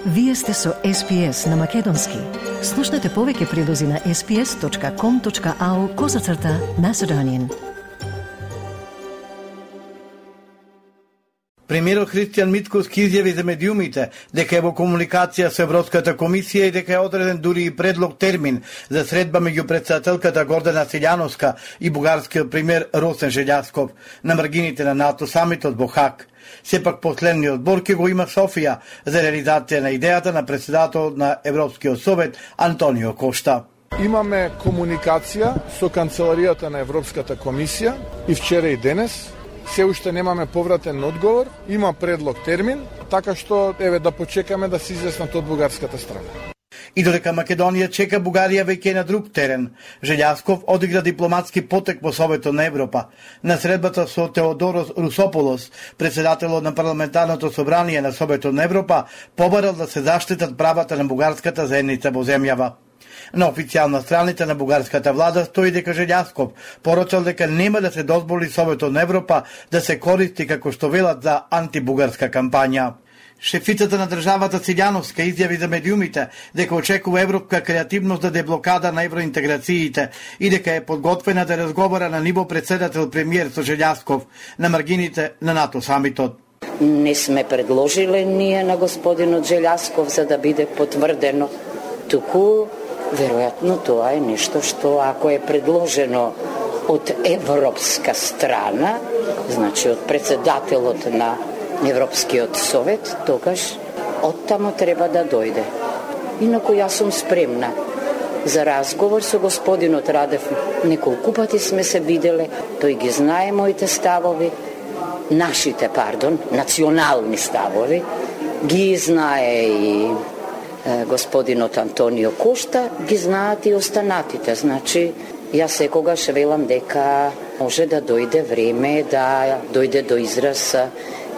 Вие сте со SPS на Македонски. Слушнете повеќе прилози на sps.com.au/Macedonian. Премиерот Христијан Мицкоски изјави за медиумите дека е во комуникација со Европската комисија и дека е одреден дури и предлог термин за средба меѓу претседателката Гордана Силјановска и бугарскиот премиер Росен Желјасков на маргините на НАТО самитот во Хаг. Сепак последниот збор ќе го има Софија за реализација на идејата на претседателот на Европскиот совет Антонио Кошта. Имаме комуникација со канцеларијата на Европската комисија и вчера и денес. Се уште немаме повратен одговор, има предлог термин, така што еве да почекаме да се изјаснат од бугарската страна. И додека Македонија чека, Бугарија веќе е на друг терен. Желјасков одигра дипломатски потек во Советот на Европа. На средбата со Теодорос Русополос, претседателот на парламентарното собрание на Советот на Европа, побарал да се заштитат правата на бугарската заедница во земјава. На официјална страница на бугарската влада стои дека Желјасков порачал дека нема да се дозволи Советот на Европа да се користи како што велат за антибугарска кампања. Шефицата на државата Силјановска изјави за медиумите дека очекува европска креативност да деблокада на евроинтеграциите и дека е подготвена да разговара на ниво председател премиер со Желјасков на маргините на НАТО самитот. Не сме предложиле ние на господинот Желјасков за да биде потврдено, туку веројатно тоа е нешто што ако е предложено од европска страна, значи од председателот на Европскиот совет, тогаш оттамо треба да дојде. Инаку јас сум спремна за разговор со господинот Радев. Неколку пати сме се виделе, тој ги знае моите ставови, национални ставови, ги знае и господинот Антонио Кошта, ги знаат и останатите. Значи, јас секогаш велам дека може да дојде време да дојде до израз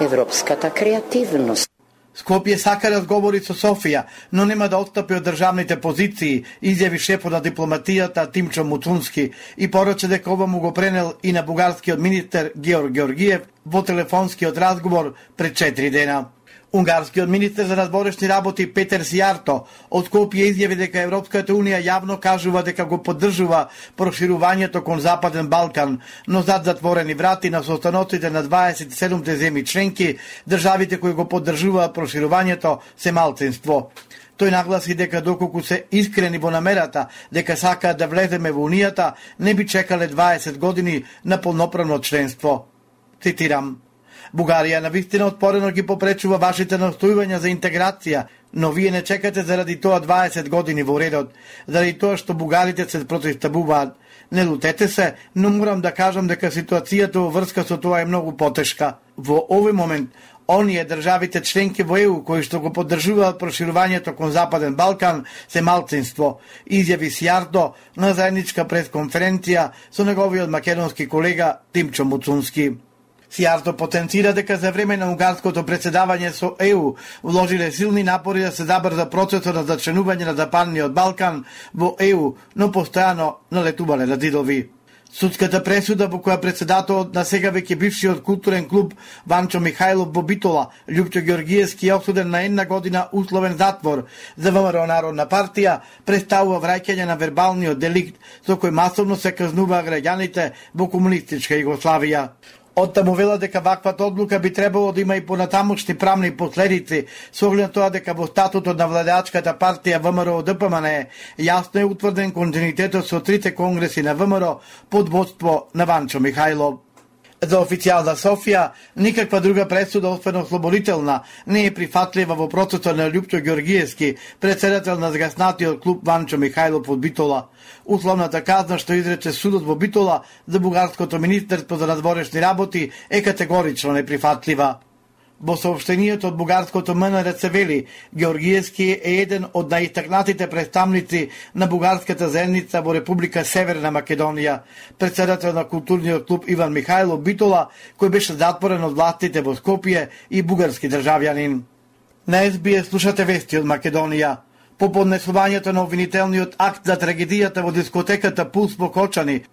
европската креативност. Скопје сака разговори со Софија, но нема да отстапи од државните позиции, изјави шефот на дипломатијата Тимчо Муцунски и порача дека ова му го пренел и на бугарскиот министер Георг Георгиев во телефонскиот разговор пред 4 дена. Унгарскиот министер за надворешни работи Петер Сијарто од Скопје изјави дека Европската унија јавно кажува дека го поддржува проширувањето кон Западен Балкан, но зад затворени врати на состаноците на 27 земји членки, државите кои го поддржуваат проширувањето се малцинство. Тој нагласи дека доколку се искрени во намерата дека сакаат да влеземе во Унијата, не би чекале 20 години на полноправно членство. Цитирам: Бугарија навистина отпорено ги попречува вашите настојувања за интеграција, но вие не чекате заради тоа 20 години во редот, заради тоа што бугарите се противставуваат. Не лутете се, но морам да кажам дека ситуацијата во врска со тоа е многу потешка. Во овој момент, оние државите членки во ЕУ кои што го поддржуваат проширувањето кон Западен Балкан се малцинство, изјави Сијарто на заедничка пресконференција со неговиот македонски колега Тимчо Муцунски. Сијарто потенцира дека за време на унгарското претседавање со ЕУ вложиле силни напори да се забрза процесот на зачленување на Западниот Балкан во ЕУ, но постојано налетувале на зидови. Судската пресуда во која претседателот на сега веќе бившиот културен клуб Ванчо Михајлов во Битола, Љупчо Георгиевски е осуден на 1 година условен затвор за ВМРО Народна партија, представува враќање на вербалниот деликт со кој масовно се казнуваа граѓаните во комунистичка Југославија. Оттаму вела дека ваквата одлука би требало да има и понатамошни правни последици, со оглед на тоа дека во статутот на владеачката партија ВМРО-ДПМН јасно е утврден континуитетот со 3 конгреси на ВМРО под водство на Ванчо Михајлов. За официјална Софија, никаква друга пресуда освен ослободителна не е прифатлива во процесот на Љупчо Георгиевски, председател на згаснатиот клуб Ванчо Михајлов од Битола. Условната казна што изрече судот во Битола за бугарското министерство за надворешни работи е категорично неприфатлива. Во соопштенијето од бугарското МНР се вели, Георгиевски е еден од најистакнатите представници на бугарската заедница во Република Северна Македонија, председател на културниот клуб Иван Михајлов Битола, кој беше затворен од властите во Скопје и бугарски државјанин. На СБС слушате вести од Македонија. По поднесувањето на обвинителниот акт за трагедијата во дискотеката Пулс во Кочани,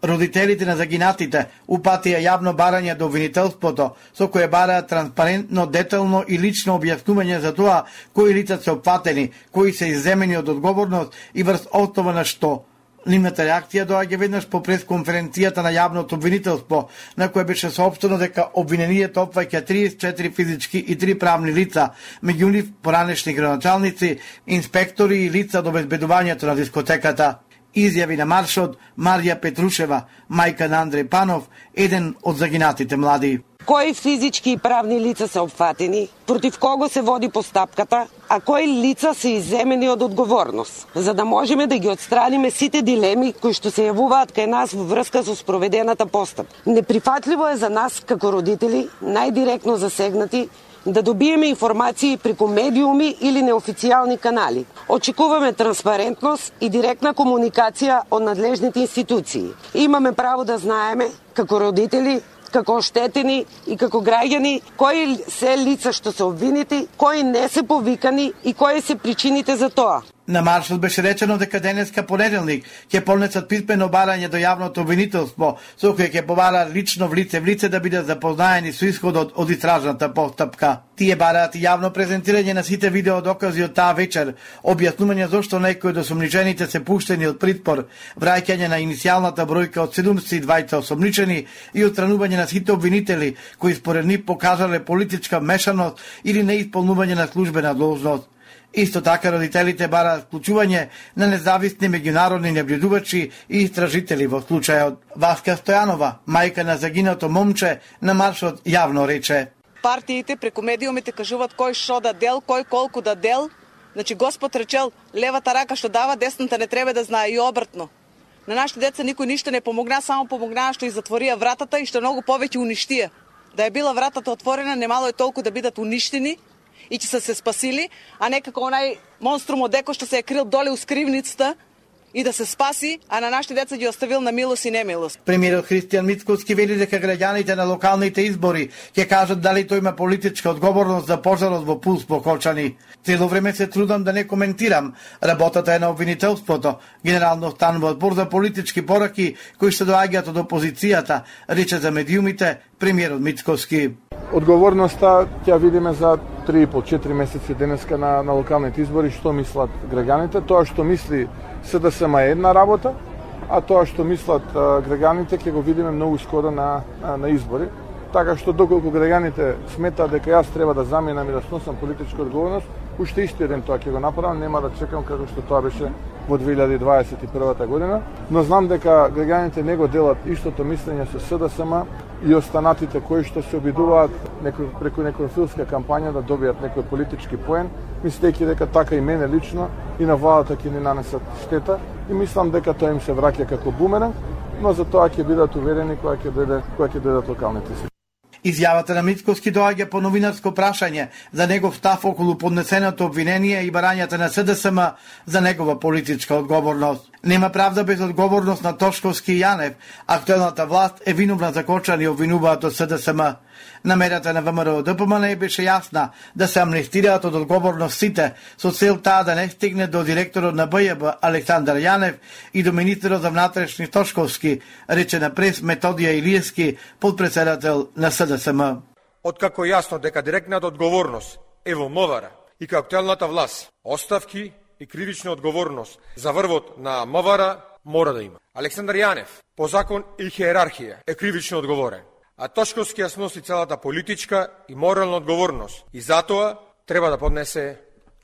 Родителите на загинатите упатија јавно барање до обвинителството, со кое бараат транспарентно, детално и лично објаснување за тоа кои лица се опфатени, кои се изземени од одговорност и врз основа на што. Нивната реакција доаѓа веднаш по пресконференцијата на јавното обвинителство, на која беше соопштено дека обвинението опфаќа 34 физички и 3 правни лица, меѓу нив поранешни градоначалници, инспектори и лица од обезбедувањето на дискотеката. Изјави на маршот Марија Петрушева, мајка на Андреј Панов, еден од загинатите млади. Кои физички и правни лица се опфатени, против кого се води постапката, а кои лица се изземени од одговорност, за да можеме да ги отстраниме сите дилеми кои што се јавуваат кај нас во врска со спроведената постапка. Неприфатливо е за нас како родители, најдиректно засегнати, да добиеме информации преку медиуми или неофицијални канали. Очекуваме транспарентност и директна комуникација од надлежните институции. Имаме право да знаеме, како родители, како оштетени и како граѓани, кои се лица што се обвинети, кои не се повикани и кои се причините за тоа. На маршот беше речено дека денеска понеделник ќе поднесат писмено барање до јавното обвинителство, со кое ќе побара лично в лице да бидат запознаени со исходот од истражната постапка. Тие бараат јавно презентирање на сите видео докази од таа вечер, објаснување зошто некои од осомничените се пуштени од притвор, враќање на иницијалната бројка од 72 осомничени и отстранување на сите обвинители кои според нив покажале политичка вмешаност или неисполнување на службена должност. Исто така родителите бараат вклучување на независни меѓународни наблюдувачи и истражители во случајот. Васка Стојанова, мајка на загинато момче, на маршот јавно рече: партиите преку медиумите кажуваат кој шо да дел, кој колку да дел. Значи Господ речел, левата рака што дава, десната не треба да знае, и обратно. На нашите деца никој ништо не помогна, само помогнаа што и затворија вратата и што многу повеќе уништија. Да е била вратата отворена, немало е толку да бидат уништени и ќе се спасили, а не како онај монструм од Еко што се е крил доле у скривницата и да се спаси, а на нашите деца ги оставил на милост и немилост. Премиерот Христијан Мицкоски вели дека граѓаните на локалните избори ќе кажат дали тој има политичка одговорност за пожарот во Пулс во Кочани. Цело време се трудам да не коментирам. Работата е на обвинителството. Генерално станува одбор за политички пораки кои што доаѓаат од опозицијата, рече за медиумите премиерот Мицкоски. Одговорноста ќе видиме за 3,5-4 месеци денеска на локалните избори, што мислат граѓаните. Тоа што мисли СДСМ е една работа, а тоа што мислат граѓаните ќе го видиме многу скоро на избори. Така што доколку граѓаните сметаат дека јас треба да заминам и да сносам политичка одговорност, уште истиот ден тоа ќе го направам, нема да чекам како што тоа беше во 2021 година. Но знам дека граѓаните не го делат истото мислење со СДСМ и останатите кои што се обидуваат преку некоја филска кампања да добијат некој политички поен, мислејќи дека така и мене лично и на владата ќе ни нанесат штета, и мислам дека тоа им се враќа како бумеранг, но за тоа ќе бидат уверени кога ќе дојдат локалните си. Изјавата на Мицкоски доаѓа по новинарско прашање за негов став околу поднесеното обвинение и барањата на СДСМ за негова политичка одговорност. Нема правда без одговорност на Тошковски и Јанев. Актуелната власт е виновна за Кочани, обвинуваат од СДСМ. Намерата на ВМРО ДПМН беше јасна да се амнестираат од одговорност сите, со цел таа да не стигне до директорот на БЈБ Александар Јанев и до министерот за внатрешни Тошковски, рече на прес Методија Илиевски, подпредседател на СДСМ. Откако јасно дека директната одговорност е во МВР и како актуелната власт, оставки и кривична одговорност за врвот на МВР мора да има. Александар Јанев по закон и хиерархија е кривично одговорен, а Тошковски ја сноси целата политичка и морална одговорност и затоа треба да поднесе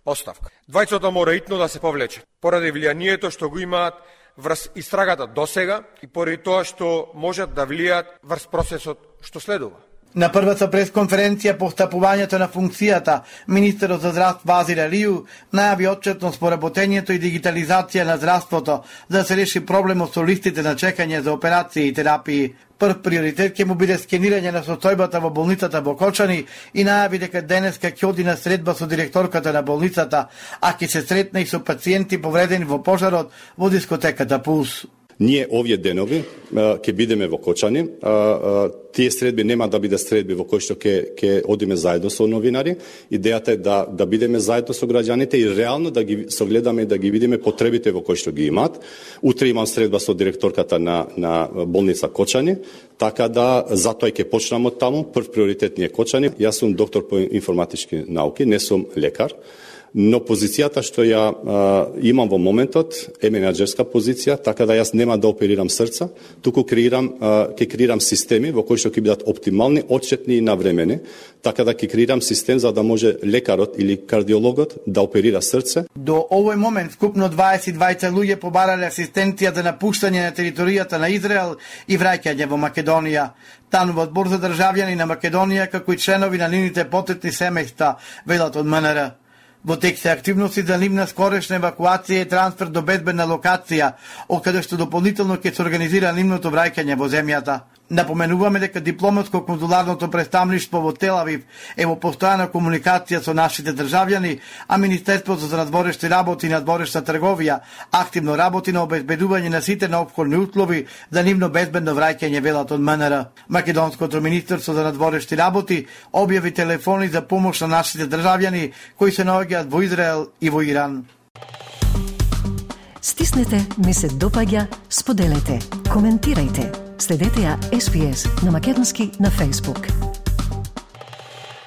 оставка. Двајцата мора итно да се повлечат, поради влијанието што го имаат врз истрагата досега и поради тоа што можат да влијаат врз процесот што следува. На првата пресконференција по встапувањето на функцијата, министерот за здравство Вазир Алију најави отчетност по работењето и дигитализација на здравството за да се реши проблемот со листите на чекање за операции и терапии. Прв приоритет ќе му биде скенирање на состојбата во болницата во Кочани и најави дека денеска ќе оди на средба со директорката на болницата, а ќе се сретне и со пациенти повредени во пожарот во дискотеката Пулс. Ние овие денови ќе бидеме во Кочани. Тие средби нема да биде средби во кои што ќе одиме заедно со новинари. Идејата е да бидеме заедно со граѓаните и реално да ги согледаме и да ги видиме потребите во кои што ги имаат. Утре имам средба со директорката на болница Кочани, така да затоа ќе почнам од таму. Прв приоритет ни е Кочани. Јас сум доктор по информатички науки, не сум лекар. Но позицијата што ја имам во моментот е менаџерска позиција, така да јас нема да оперирам срца, туку ќе креирам системи во кои што ќе бидат оптимални, отчетни и навремени, така да ќе креирам систем за да може лекарот или кардиологот да оперира срце. До овој момент вкупно 22 луѓе побарале асистенција за напуштање на територијата на Израел и враќање во Македонија. Танува одбор за државјани на Македонија, како и членови на нивните потетни семејства, велат од МНР. Во тек се активности за нивна скорешна евакуација и трансфер до безбедна локација, откаде што дополнително ќе се организира нивното враќање во земјата. Напоменуваме дека дипломатско-конзуларното представништво во Тел Авив е во постојана комуникација со нашите државјани, а Министерството за надворешни работи и надворешна трговија активно работи на обезбедување на сите неопходни услови за нивно безбедно враќање, велат од МНР. Македонското Министерство за надворешни работи објави телефони за помош на нашите државјани кои се наоѓаат во Израел и во Иран. Стиснете, ми се допаѓа, споделете, коментирајте. Следете ја SPS на македонски на Facebook.